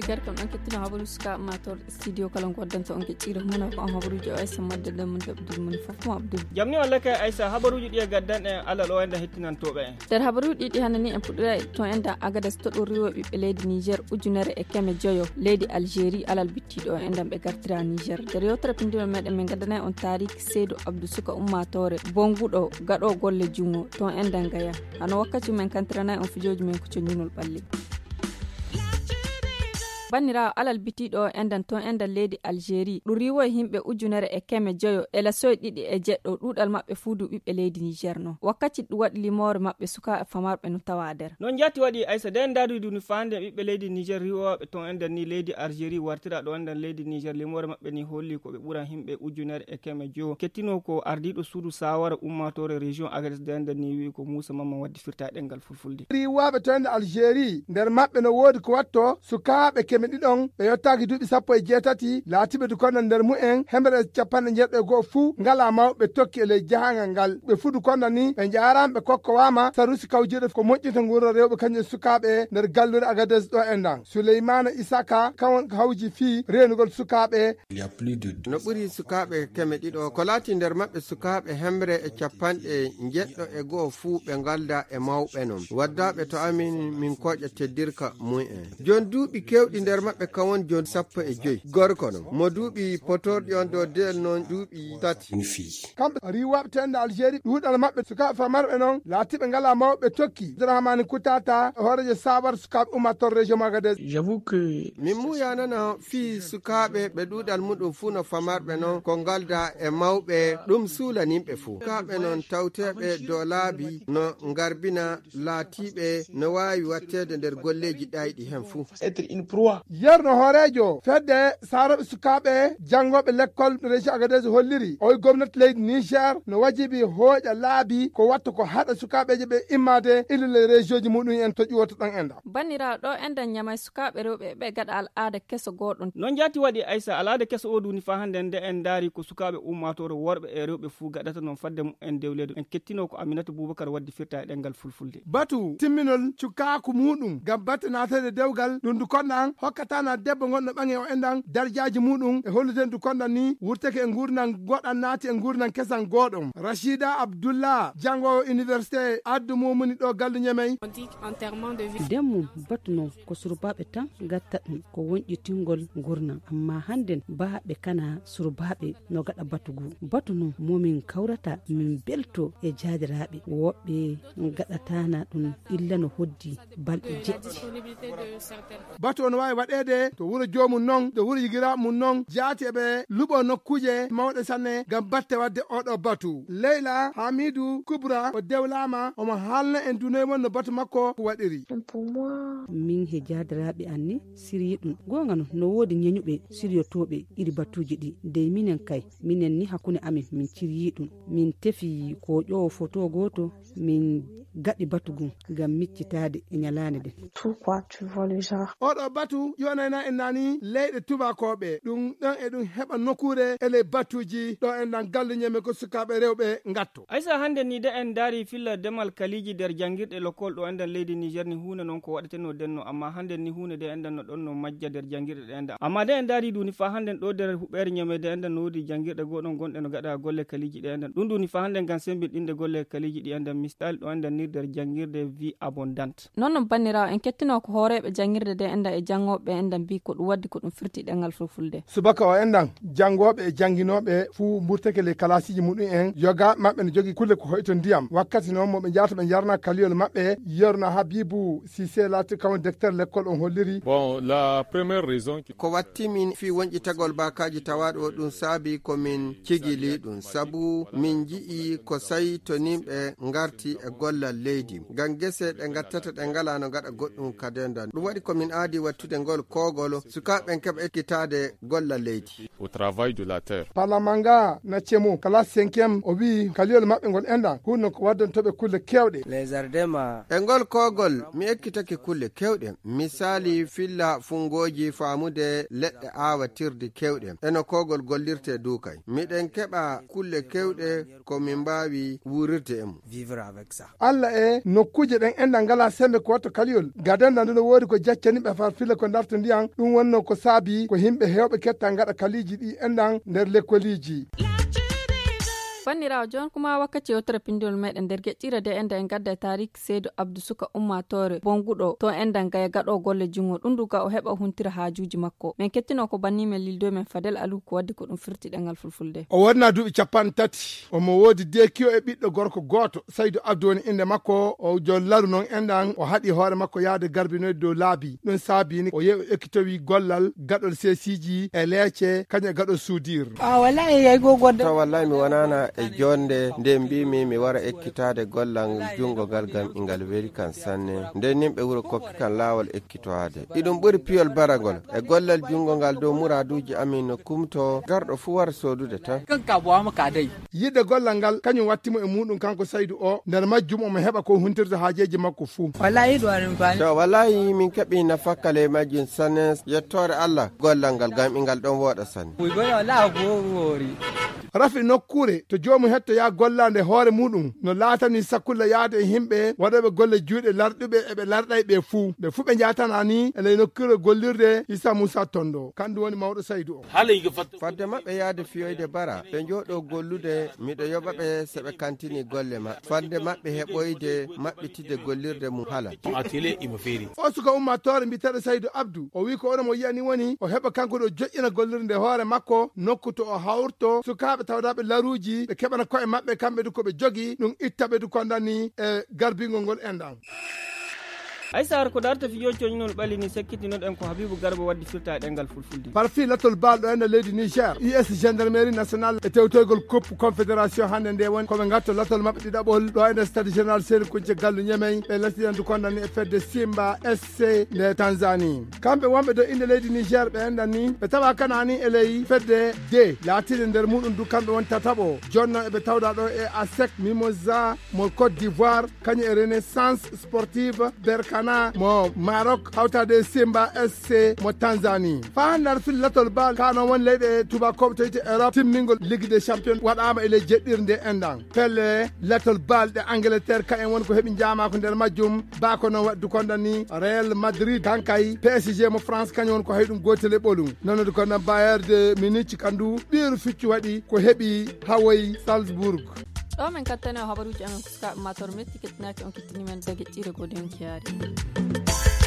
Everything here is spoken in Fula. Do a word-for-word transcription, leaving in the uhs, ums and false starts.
Kadi kam ɗon kettino habaruuji suka mator studio kala ko waddanta on kecciro mona ko on habaruuji o S M madde ɗen mun jaɓdude mun fof mo abdul. Jamni walla kay Aissa, habaruuji ɗi e gaddan en Allah ɗo enda hettinantooɓe en. Nder habaruuji ɗi hannde ni en puɗɗoya to enda Agades to ɗo riwo ɓiɓɓe leydi Niger ujunere e keme joyo leydi Algérie alal bittiɗo o endan ɓe gartira Niger. Nder yewtere pinndinol meɗen min gaddanay on taariki Seydou Abdou suka ummatore bonguɗo gaɗo golle jungo to endan gaya. Hano wakkati men kantiranay on fijooji men ko connunol ɓalli. Banniraawo alal bitiiɗo o endan to endan leydi Algérie ɗum riiwoyi yimɓe ujunere e keme joyo e lasoye ɗiɗi e jeɗɗo ɗuuɗal maɓɓe fuu du ɓiɓɓe leydi Niger non wakkati ɗum waɗi limoore maɓɓe sukaaɓe famarɓe no tawa nder. Non jatti waɗi Aissa de en daari duni faande ɓiɓɓe leydi Niger riiwooɓe to endan ni leydi Algérie wartira ɗo endan leydi Niger limoore maɓɓe ni holli ko ɓe ɓura yimɓe ujunere e keme joyo kettino ko ardiiɗo suudu sawara ummatore région Agadez de endan ni wi'i ko Moussa Mamman waddi firta e ɗengal fulfulde. Riiwooɓe to ender Algérie nder maɓɓe no woodi ko watto sukaaɓe keme ɗiɗon ɓe yottaaki duuɓi sappo e jeetati laatiiɓe du konda nder mumen hemere e capanɗe njeeɗo e go'o fuu ngala mawɓe tokki e ley jahangal ngal ɓe fuu du konda ni ɓe njaaraama ɓe kokkowaama sarusi kawjirɗe ko moƴƴinta nguurndam rewɓe kañum e sukaaɓe nder galluure Agadez ɗo endan Souleymane Isaka kawon ko hawji fii reenugol sukaaɓe. No ɓuri sukaaɓe keme ɗiɗo ko laati nder maɓɓe sukaaɓe hemre e capanɗe njeɗɗo e go'o fuu ɓe ngalda e mawɓe non waddaaɓe to amin min koƴa teddirka mumen jon duuɓi kewɗi nder maɓɓe kawon jon sappo e joyi gorko non mo duuɓi potorɗi on dow del non duuɓi tati. Kamɓe riiwaaɓe to ender Algérie ɗuuɗal maɓɓe sukaaɓe famarɓe non laatiiɓe ngalaa mawɓe tokki Abdourahmane Koutata hooreejo sawara sukaaɓe ummatore région Agadez. Min muuyanana fii sukaaɓe ɓe ɗuuɗal muɗum fuu no famarɓe non ko ngalda e mawɓe ɗum suulaninɓe fuu sukaaɓe non tawteeɓe dow laabi no ngarbina laatiiɓe no waawi watteede nder golleeji ɗayɗi heen fuu. Yerno hooreejo fedde saroɓe sukaaɓe janngooɓe lekkol région Agadez holliri oy gomnati leydi Niger no wajibi hooƴa laabi ko watta ko haɗa sukaaɓeeje ɓe immaade illa ley région ji muɗum en to ƴuwoto ɗon enɗam. Banniraaɗo ɗo enɗam ñamay sukaaɓe rewɓe ɓe gaɗa al'aada keso gooɗon. Non jaati waɗi Aysa al'aada keso o duuni faa hannde nde en ndaari ko sukaaɓe ummaatoore worɓe e rewɓe fuu gaɗata non fadde mumen dewleede en kettino ko Aminata Bubakar waddi firta e ɗemngal fulfulde. Batu timminol cukaaku muuɗum ngam batte naatede dewgal ɗum ndu konɗan hokkatana debbo ngonɗo ɓaŋe o enɗan darjaaji muuɗum e hollude ndu konɗan ni wurteke e nguurndam goɗan naati e nguurndam kesan gooɗon. Rachida Abdullah janngoowo université addu mumuni ɗo gallu ñemey. Ndemmu batu non ko surbaaɓe tan gatta ɗum ko wonƴitingol nguurndam amma hannden baaɓe kana surbaaɓe no gaɗa batu goo batu non momin kawrata min belto e jaadiraaɓe woɓɓe gaɗatana ɗum illa no hoddi balɗe jeɗɗi. Batu on waawi waɗeede to wuro joomum non to wuro yigiraaɓe mum non jaati eɓe luɓo nokkuuje mawɗe sanne ngam batte waɗde oɗo batu leyla hamidu kubra o dewlaama omo haalna en dunoye mon no batu makko waɗiri. Min he jaadiraaɓe an ni siryi ɗum goonga non no woodi ñeñuɓe siryotooɓe iri batuuji ɗi dey minen kay minen ni hakkunde amin min ciryii ɗum min tefi ko ƴoowo foto gooto min gaɗi batu gum ngam miccitaade e ñalaande nden. Oɗo batu ƴoonayna en nani leyɗe tubakooɓe ɗum ɗon e ɗum heɓa nokkuure e ley batuuji ɗo en ɗan gallu ñeme ko sukaaɓe rewɓe ngatto. Aysa hannde ni de en ndaari filla demal kaliiji nder janngirɗe lokol ɗo enɗan leydi Niger ni huunde non ko waɗetenoo denno amma hannde ni huunde de enɗan no ɗon no majja nder janngirɗe ɗe enɗan amma de en ndaari duuni faa hannde ɗo nder huɓeere ñeme de enɗan no woodi janngirɗe gooɗon gonɗe no gaɗa golle kaliiji ɗe enɗan ɗum duuni faa hannde ngam semmbinɗinde golle kaliiji ɗi enɗan mistal ɗo enɗan ni nder janngirde vie abondante. Non non banniraawo en kettino ko hooreeɓe janngirde de enɗan e janngooɓe enɗan mbi ko ɗum waddi ko ɗum firti ɗemngal fulfulde. Subaka o enɗan janngooɓe e jannginooɓe fuu mburteke ley kalaasiiji muɗum en yogaaɓe maɓɓe no jogii kulle ko hoyto ndiyam wakkati noon mo ɓe njaata ɓe njarna kaliyol maɓɓe yerno habibu sise laati kawon decteur lekkol on holliri. Bon la première raison ko watti min fii wonƴitagol baakaaji tawaaɗo o ɗum saabi ko min cigili ɗum sabu min nji'i ko sayi to nimɓe ngarti e gollal leydi ngam gese ɗe ngattata ɗe ngalaa no ngaɗa goɗɗum kadenda ɗum waɗi ko min aadi wattude ngol koogol sukaaɓe ɓen keɓa ekkitaade gollal leydi. Au travail de la terre. Palamanga na cemo kala cinquième o wi'i kaliyol maɓɓe ngol enɗan hunno ko waddantooɓe kulle keewɗe. E ngol koogol mi ekkitake kulle keewɗe misaali filla funngooji faamude leɗɗe aawatirde keewɗe eno koogol gollirte duukay miɗen keɓa kulle keewɗe ko min mbaawi wuurirde e mum. e nokkuuje ɗen enɗan ngalaa semmbe ko watta kaliyol. Gadenda nde no woodi ko jaccani ɓe far fila ko ndarta ndiyan, ɗum wonno ko saabi ko yimɓe heewɓe ketta ngaɗa kaliiji ɗi enɗan nder lekkoliiji. Banndiraawo, jooni kuma wakkati yewtere pinndol meɗen nder geƴƴire de enda en gadda e tarik Seydou Abdou, suka ummaatoore bonguɗo to enda gaya gaɗo golle junngo. Ɗum ɗum ga o heɓa huntira haajuuji makko. Men kettino ko banni men lildo men Fadel Aliou ko waddi ko ɗum firti ɗengal fulfulde. O wonna duuɓi capanɗe tati. Omo woodi dekiyo e ɓiɗɗo gorko gooto. Saydu Abdu woni innde makko. O jol laru noon enɗan, o haɗi hoore makko yahde garbinoyde dow laabi. Ɗum saabini o yehi o ekkitowi gollal gaɗol seesiiji e leece, kañum e gaɗol suudir. A wallahi yaygo godde. Taw wallahi mi wonana e jonde nde mbimi mi wara ekkitaade gollal junngo ngal, ngam ingal weli kan sanne. Nde nimɓe wuro kokki kan laawol ekkitoade. Iɗum ɓuri piyol baragol. E gollal junngo ngal dow muraaduuji amin no kumto, garɗo fuu wara soodude tan. Kan ka bo ama ka dey. Yiɗde gollal ngal, kañum watti mo e muuɗum kanko Saydu o. Nder majjum omo heɓa ko huntirta haajeeji makko fuu. Wallahi ɗo aɗum faami. To wallahi min keɓi nafakka ley majjum sanne, yettoore Allah. Gollal ngal gam ingal ɗon wooɗa sanne. Wi gono wallahi ko woori. Rafi nokkuure to joomum hettoya gollaande hoore muuɗum no laatani sakkulla yahde e yimɓe waɗooɓe golle juuɗe larɗuɓe e ɓe larɗay ɓe fuu. Ɓe fuu ɓe njaatana ni e ley nokkuure gollirde Issa Moussa Tondo. Kanɗum woni mawɗo Saydu o. Haala yiga fat. Fadde maɓɓe yahde fiyoyde bara, ɓe njooɗo gollude, miɗo yoɓa ɓe so ɓe kantini golle maɓɓe. Fadde maɓɓe heɓoyde maɓɓitide gollirde mum hala. Atelier imo feeri. O suka ummaatoore mbiyeteeɗo Saydu Abdu, o wi'i ko oɗo mo yi'ani woni o heɓa kanko ɗo joƴƴina gollirde hoore makko, nokku to o hawrto sukaaɓe tawdaaɓe laruuji, ɓe keɓana ko'e maɓɓe kamɓe du ko ɓe jogi, ɗum itta ɓe du kondani e garbingol ngol enɗan. Ay Saar, ko darta fijo coñnol ɓalini sakkitinoɗen ko Habibu Garba waddi firta e ɗengal fulfulde. Parfi latol baal ɗo ene leydi Niger, U S Gendarmerie Nationale e tewtoygol Coupe Confédération hannde nde woni ko ɓe ngatto latol maɓɓe ɗiɗaɓol ɗo ene Stade Général Seni Kunce Gallu Ñemey, ɓe lattidan du kondani e fedde Simba S C nde Tanzanie. Kamɓe wonɓe dow innde leydi Niger ɓe enɗan ni ɓe tawa kanani e ley fedde D, laatinde nder muɗum du kamɓe won tataɓo. Jonno eɓe tawda ɗo e ASEC Mimosa mo Côte d'Ivoire, kañum e Renaissance Sportive Berkana mo Maroc, hawtade Simba S C mo Tanzanie. Faa hannde aɗa fil latol bal, ka noon woni leyɗe tubakooɓe toyte Europe, timmingol Ligue des Champions waɗaama e ley jeɗɗirde enɗan. Pelle latol bal ɗe Angleterre, kañum woni ko heɓi njaamaako nder majjum. Ba ko noon waɗi du kondani Real Madrid, kankay P S G mo France, kañum woni ko hay ɗum gootel e ɓolum. Noon du kondani Bayern de Munich, kandu ɓiiru ficcu waɗi ko heɓi hawoyi Salzburg. Ɗo men kattane o habaruuji amen ko sukaaɓe mator metti kettinaaki on kettini men daga ƴiire gode on kiyaari.